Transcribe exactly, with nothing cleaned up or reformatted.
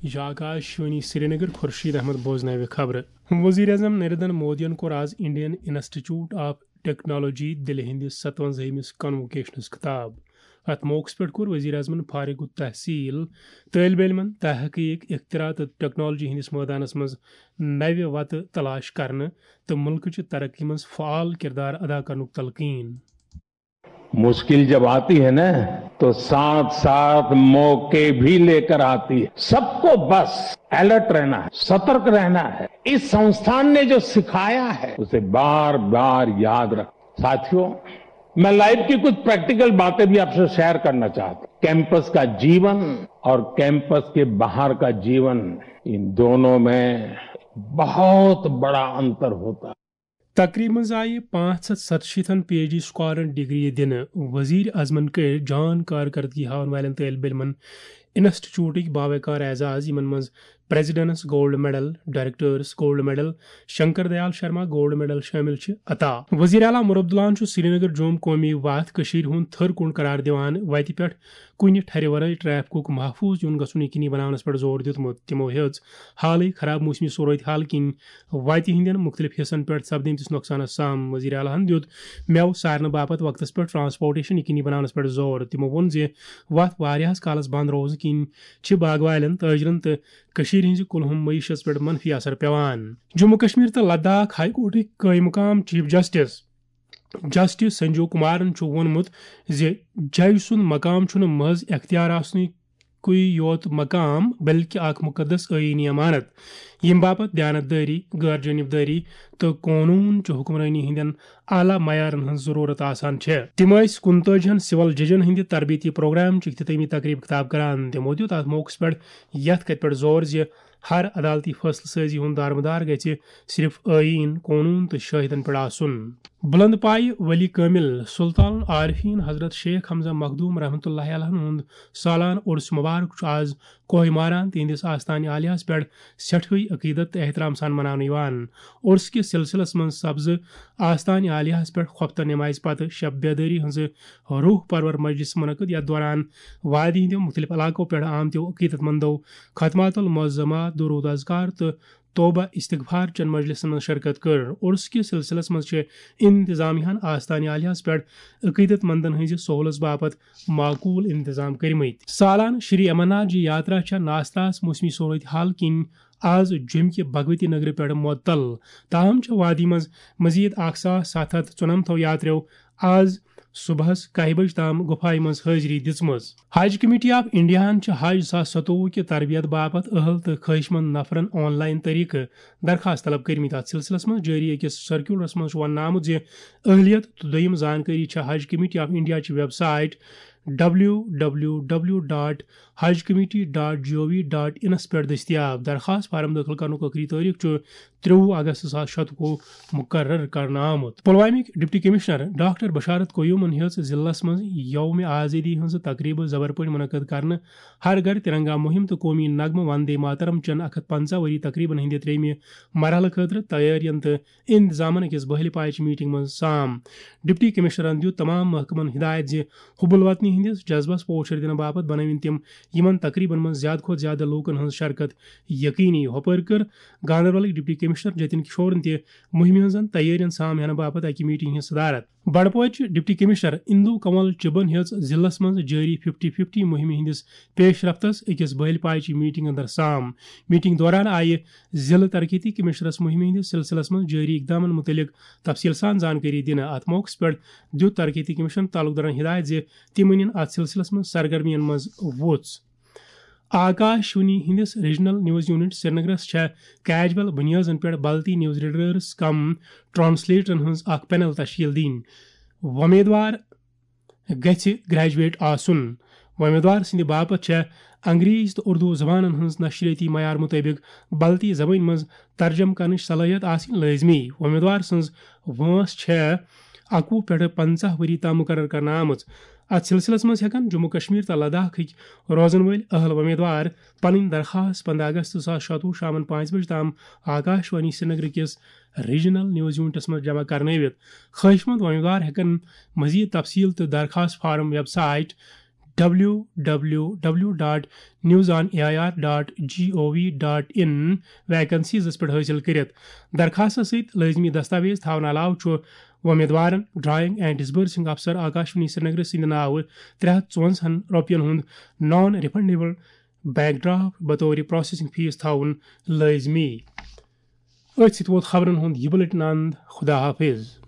یہِ چھُ آکاش وانی سرینگر۔ خورشید احمد بوزناوِ خبرٕ۔ وزیر اعظم نریندر مودیَن کوٚر آز انڈین انسٹیٹیوٹ آف ٹیکنالوجی دِلہِ ہٕنٛدِس ستوَنزٲہمِس کنووکیشنس خطاب۔ اتھ موقعس پٮ۪ٹھ کوٚر وزیر اعظمن فارغ التحصیل طٲلبِ علمن تحقیق، اختراع تہٕ ٹیکنالوجی ہٕنٛدِس مٲدانس منٛز نوِ وتہٕ تلاش کرنہٕ تہٕ مُلکٕچہِ ترقی منٛز فعال کردار ادا کرنُک تلقین۔ मुश्किल जब आती है ना, तो साथ साथ मौके भी लेकर आती है। सबको बस अलर्ट रहना है, सतर्क रहना है। इस संस्थान ने जो सिखाया है, उसे बार बार याद रख। साथियों, मैं लाइफ की कुछ प्रैक्टिकल बातें भी आपसे शेयर करना चाहता हूँ। कैंपस का जीवन और कैंपस के बाहर का जीवन, इन दोनों में बहुत बड़ा अंतर होता है। تقریبہِ منٛز آیہِ پانٛژھ ہتھ ستشیٖتھن پی ایچ ڈی سکالرن ڈگری دِنہٕ۔ وزیر اعظمن کٔرۍ جان کارکردگی ہاون والٮ۪ن طٲلبہِ علمن انسٹیٹیوٹٕکۍ باوقار اعزاز، یِمن منٛز president's gold medal, director's gold medal, Shankar Dayal Sharma gold medal شٲمِل چھِ، عطا۔ وزیر اعلیٰ عمر عبداللہن چھُ سرینگر جوم قومی وتھ کٔشیٖرِ ہُنٛد تھٔر کُن قرار دِوان وتہِ پٮ۪ٹھ کُنہِ ٹھرِ ورٲے ٹریفکُک محفوظ یُن گژھُن یقینی بناونس پٮ۪ٹھ زور دیُتمُت۔ تِمو ہیٚژ حالٕے خراب موسمی صورت حال کِنۍ وتہِ ہٕنٛدٮ۪ن مُختٔلِف حصن پٮ۪ٹھ سپدٕمتِس نۄقصانس سام۔ وزیر اعلیٰ ہن دیُت مٮ۪وٕ سارنہٕ باپتھ وقتس پٮ۪ٹھ ٹرانسپورٹیشن یقینی بناونس پٮ۪ٹھ زور۔ تِمو ووٚن زِ وتھ واریاہس کالس بند روزنہٕ کِنۍ چھِ باغہٕ والٮ۪ن، تٲجرن تہٕ کٔشیٖرِ ہٕنٛزِ کُلہُم معیشس پٮ۪ٹھ منفی اثر پٮ۪وان۔ جموں کشمیر تہٕ لداخ ہائی کورٹٕکۍ قٲیِم مقام chief justice justice Sanjeev Kumaran چھُ ووٚنمُت زِ جج سُنٛد مقام چھُنہٕ محض اختیار آسنُے کُے یوت مقام، بلکہِ اکھ مقدس آئینی امانت، ییٚمہِ باپتھ دیانت دٲری، غٲر جانبدٲری تہٕ قونوٗن چہِ حکمرٲنی ہٕنٛدٮ۪ن اعلیٰ معیارن ہٕنٛز ضروٗرت آسان چھےٚ۔ تِم ٲسۍ کُنتٲجی ہن سول ججن ہٕنٛدِ تربیتی پروگرام چہِ اختتٲمی تقریبہِ خطاب کران۔ تِمو دیُت اتھ موقعس پٮ۪ٹھ یتھ کتھِ پٮ۪ٹھ زور زِ ہر عدالتی فٲصلہٕ سٲزی ہُنٛد دارمدار گژھِ صرف آئین، قونوٗن تہٕ شٲہدن پٮ۪ٹھ آسُن۔ بلند پایہِ ولی کٲمل سلطان العارفین حضرت شیخ حمزہ مخدوم رحمتہ اللہ علیہ ہُنٛد سالانہٕ عرس مبارک چھُ آز کوہ ماران تِہنٛدِس آستانہِ عالیہس پٮ۪ٹھ سٮ۪ٹھٕے عقیدت تہٕ احترام سان مناونہٕ یِوان۔ عرس کِس سلسلس منٛز سپزٕ آستانہِ عالیہس پٮ۪ٹھ خۄفتن نمازِ پتہٕ شب بیدٲری ہٕنٛزٕ روح پرور مجلس منعقد، یتھ دوران وادی ہٕنٛدیو مُختٔلِف علاقو پٮ۪ٹھ آمتیو عقیدت مندو ختمات المعظمات، درود اذکار تہٕ توبہ استغفار چٮ۪ن مجلسن منٛز شرکت کٔر۔ عرس کِس سلسلس منٛز چھِ انتظامیہ ہن آستانہِ عالیہس پٮ۪ٹھ عقیدت مندن ہٕنٛزِ سہولژ باپتھ معقول انتظام کٔرمٕتۍ۔ سالانہٕ شری امرناتھ جی یاترا چھےٚ ناستاس موسمی صورت حال کِنۍ آز جوٚمہِ کہِ بھگوتی نگرٕ پٮ۪ٹھ معطل، تاہم چھےٚ وادی منٛز مزید اکھ ساس ستھ ہتھ ژُنمتھو یاتریو آز صبحس کاہہِ بجہِ تام گُفایہِ منٛز حٲضری دِژمٕژ۔ حج کمیٹی آف انڈیاہن چھِ حج زٕ ساس ستووُہ کہِ تربیت باپتھ اہل تہٕ خٲہِش مند نفرن آن لائن طریقہٕ درخواست طلب کٔرمٕتۍ۔ اتھ سلسلس منٛز جٲری أکِس سرکیولرس منٛز چھُ وننہٕ آمُت زِ اہلیت تہٕ دوٚیِم زانکٲری چھےٚ حج کمیٹی آف انڈیا چہِ website W W W dot Haj committee dot G O V dot انس پٮ۪ٹھ دٔستیاب۔ درخواست فارم دٲخل کرنُک ٲخری تٲریخ چھُ ترٛوُہ اگست زٕ ساس شتوُہ مقرر کرنہٕ آمُت۔ پلوامٕکۍ ڈپٹی کمشنر ڈاکٹر بشارت قیومن ہیٚژ ضلعس منٛز یوم آزادی ہٕنٛز تقریبہٕ زبر پٲٹھۍ منعقد کرنہٕ، ہر گھر ترنگا مہم تہٕ قومی نغمہٕ وندے ماترم چٮ۪ن اکھ ہتھ پنژاہ ؤری تقریبن ہٕنٛدِ ترٛیٚیمہِ مرحلہٕ خٲطرٕ تیٲرین تہٕ انتظامن أکِس بحلہِ پایچہِ میٹنگ منٛز سام۔ ڈپٹی کمشنرن دیُت تمام محکمن ہدایت زِ حب الوطنی ہٕنٛدِس جذبس پوچھر دِنہٕ باپتھ بنٲوِن تِم یِمن تقریبن منٛز زیادٕ کھۄتہٕ زیادٕ لوٗکن ہٕنٛز شرکت یقینی۔ ہُپٲرۍ کٔر گاندربلٕکۍ ڈپٹی کمشنر جتن کشورن تہِ مُہِمہِ ہٕنٛزن تیٲرین سام ہینہٕ باپتھ اکہِ میٹنگ ہٕنٛز صدارت۔ بڈپورچہِ ڈپٹی کمشنر اندو کنول چبن ہیٚژ ضلعس منٛز جٲری ففٹی ففٹی مُہِمہِ ہٕنٛدِس پیش رفتس أکِس بحلہِ پایچہِ میٹنگ اندر سام۔ میٹنگ دوران آیہِ ضلعہٕ ترقیتی کمشنرس مُہِمہِ ہٕنٛدِس سلسلس منٛز جٲری اقدامن مُتعلق تفصیل سان زانکٲری دِنہٕ۔ اتھ موقعس پٮ۪ٹھ دیُت ترقیتی کمشنر تعلق دارن ہدایت زِ تِم أنِن اتھ سلسلس منٛز سرگرمین منٛز وُژھ۔ آکاش وانی ہٕنٛدِس ریجنل نیوز یونٹ سرینگرس چھےٚ کیجول بنیٲدن پٮ۪ٹھ بلتی نیوز ریڈرس کم ٹرانسلیٹرن ہٕنٛز اکھ پینل تشکیل دِنۍ۔ وۄمیدوار گژھِ گریجویٹ آسُن۔ وۄمیدوار سٕنٛدِ باپتھ چھےٚ انگریز تہٕ اردو زبانن ہٕنٛز نشریٲتی معیار مُطٲبِق بلتی زبٲنۍ منٛز ترجمہٕ کرنٕچ صلٲحیت آسٕنۍ لٲزمی۔ وۄمیدوار سٕنٛز وٲنٛس چھےٚ اَکوُہ پٮ۪ٹھٕ پنٛژاہ ؤری تام مُقرر کرنہٕ آمٕژ۔ اتھ سلسلس منٛز ہٮ۪کن جموں کشمیر تہٕ لداخٕکۍ روزن وٲلۍ اہل وۄمیدوار پنٕنۍ درخواست پنٛداہ اگست زٕ ساس شتوُہ شامن پانٛژِ بجہِ تام آکاش وانی سرینگر کِس ریجنل نیوز یونٹس منٛز جمع کرنٲوِتھ۔ خٲہِش مند وۄمیدوار ہٮ۪کن مزید تفصیل تہٕ درخواست form website W W W dot news on A I R dot G O V dot in ویکنسیزس پٮ۪ٹھ حٲصِل کٔرِتھ۔ درخاستس سۭتۍ لٲزمی دستاویز تھاونہٕ علاوٕ چھُ وۄمیدوارن ڈرائنگ اینڈ ڈسبرسنگ افسر آکاشوانی سرینگر سٕنٛدِ ناوٕ ترٛےٚ ہتھ ژُوَنزاہن رۄپین ہُنٛد نان ریفنڈیبل بیک ڈراپ بطور پروسیسنگ فیس تھاوُن لٲزمی۔ أتھۍ سۭتۍ ووت خبرن ہُنٛد یہِ بُلٹن اند۔ خدا حافظ۔